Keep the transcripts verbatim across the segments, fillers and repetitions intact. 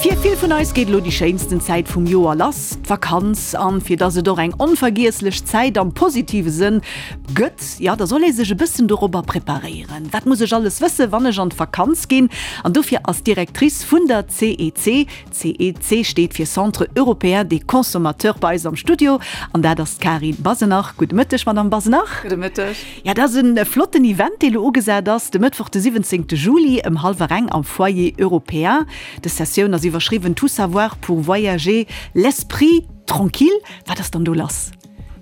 Fir vill vun eis geet elo déi schéinsten Zäit vum Joer lass, d'Vakanz. An fir dass et och eng onvergiesslech Zäit am positive Sënn gëtt, jo, da soll ee sech e bëssen dorobber preparéieren. Wat muss ech alles wëssen, wann ech an d'Vakanz ginn? An dofir ass d'Directrice vun der CEC, CEC steet fir Centre Européen des Consommateurs, bei eis am Studio an dat ass d'Karin Basenach. Gudde Mëtteg, Madamm Basenach. Gudde Mëtteg. Ja, dat ass e flotten Event, dee lo ugesat ass, de Mëttwoch de siwwenzéngte Juli ëm hallwer eng am Foyer Européen. Dës Sessioun ass iwwerschriwwen Tout savoir pour voyager l'esprit tranquille. Wat ass dann do lass?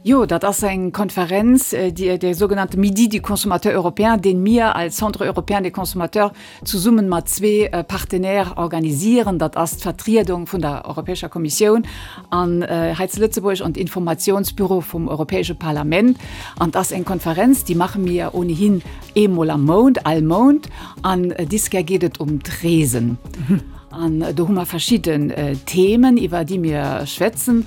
Jo, dat ass eng Konferenz, déi, der sogenannte Midi du consommateur européen, deen mir als Centre européen des consommateurs zesummen mat zwee Partenaires organisieren. Dat ass d'Vertriedung vun der Europäescher Kommissioun an hei zu Lëtzebuerg an d'Informationsbüro vum Europäesche Parlament. An dat ass eng Konferenz, déi maache mir ohnehin eemol am Mount, all Mount. An dis Kéier geet et ëm d'Reesen. An do hu mer verschidden Themen, iwwer déi mir schwätzen,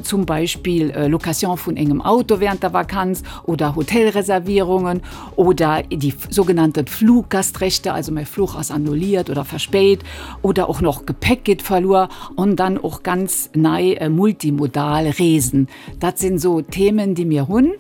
zum Beispill Location vun engem Auto während der Vakanz oder Hotelreservierungen oder déi sougenannte Fluggastrechte, also mäi Fluch ass annulliert oder verspéit oder och nach Gepäck geet verluer an dann och ganz nei multimodal Reesen. Dat sinn esou Themen, déi mir hunn.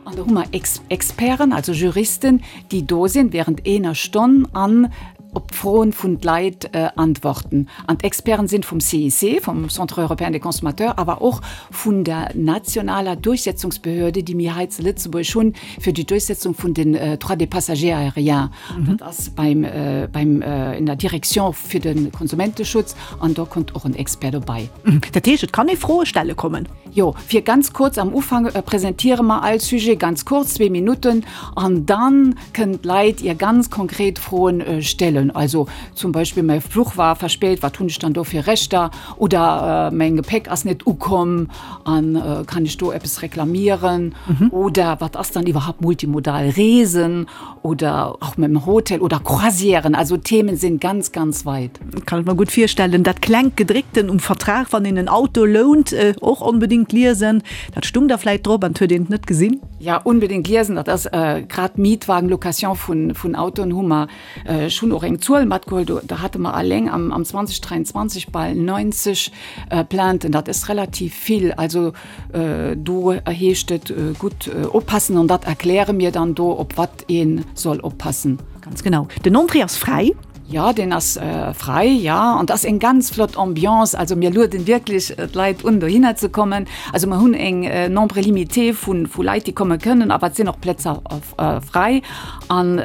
An do hu mer Experten, also Juristen, déi do sinn während enger Stonn an op d'Froen vun d'Leit antworten. An d'Experten sinn vum C E C, vum Centre européen des consommateurs, awer och vun der nationaler Durchsetzungsbehörde, déi mir hei zu Lëtzebuerg hunn, fir déi Durchsetzung vun den Droits des passagers aériens. Dat ass beim, beim, in der Direction fir de Konsumenteschutz an do kënnt och en Expert dobäi. Dat heescht, et kann ee Froe stelle kommen? Jo, fir ganz kuerz am Ufank presentiere mer all Sujet ganz kuerz, zwee Minutten, an dann kënnen d'Leit hir ganz konkret Froen stellen. Also zum Beispill, mäi Fluch war verspéit, wat hunn ech dann do fir Rechter? Oder mäin Gepäck ass net ukomm an kann ech do eppes reklamieren? Oder wat ass dann iwwerhaupt multimodal Reesen? Oder och mam Hotel oder Croisièren. Also Themen sinn ganz, ganz weit. Kann ech mer gutt virstellen. Dat klengt Gedréckten um Vertrag, wann een en Auto lount, och onbedéngt liesen. Dat stung da vläit drop an et huet een et net gesinn. Ja, unbedéngt liesen. Dat ass grad Mietwagen, Location vun, vun Autoen hu mer schonn och eng Zuel matgeholl. Do, do hate mer alleng am, am zweedausendräianzwanzeg bal neunzeg Plainten. Dat ass relativ vill. Also do heescht et gutt oppassen an dat erkläre mir dann do, op wat ee soll oppassen. Ganz genau. Den Entrée ass fräi. Ja, deen ass fräi, ja. An dat ass eng ganz flott Ambiance. Also mir lueden wierklech d'Leit un, dohinner ze kommen. Also mer hunn eng Nombre limité vu, vu Leit, déi komme kënnen, awer et sinn och Plätzer fräi. An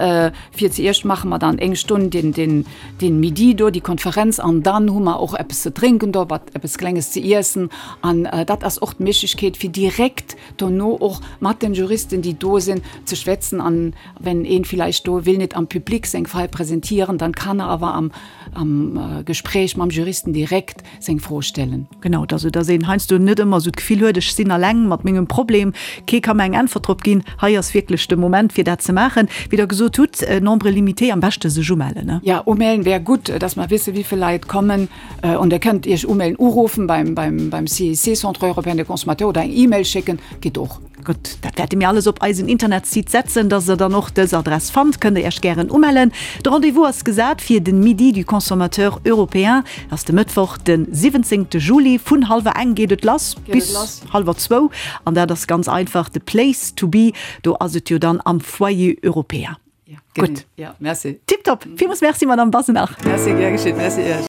fir zuerst maache mer dann eng Stonn den, den, den Midi do, déi Konferenz, an dann hu mer och eppes ze drénken do, wat eppes Klenges ze iessen. An dat ass och d'Méiglechkeet, fir direkt dono och mat den Juristen, déi do sinn, ze schwätzen. An wenn een villäicht do wëll net am Public seng Fall presentieren, dann kann er awer am, am Gespréich mam Juristen direkt seng Fro stellen. Genau, also dass een heiansdo net ëmmer esou d'Gefill huet, ech sinn alleng mat mengem Problem, kee ka mer eng Äntwert drop ginn. Hei ass wierklech de Moment, fir dat ze maachen. Wéi Der gesot hutt, Nombre limité, am beschte sech umellen, ne? Ja, umellen wär gutt, dass mer wësse wéi vill Leit kommen. An der kënnt Iech umellen, uruffen beim, beim, beim C E C, Centre européen des consommateurs, oder eng E-Mail schécken, geet och. Gutt, dat wäerte mir alles op eisen Internetsite setzen, dass der dann och dës Adress fannt. Kënnt der Iech gären umellen. De Rendez-vous ass gesat fir den Midi du consommateur européen. Dat ass de Mëttwoch, de siwwenzéngte Juli. Vun hallwer eng geet et lass bis hallwer zwou. An dat ass ganz einfach de Place to be. Do ass et jo dann am Foyer européen. Ja, gutt. Ja, merci. Tipptopp. Villmools Merci, Madame Basenach. Merci, gär geschétt. Merci Iech.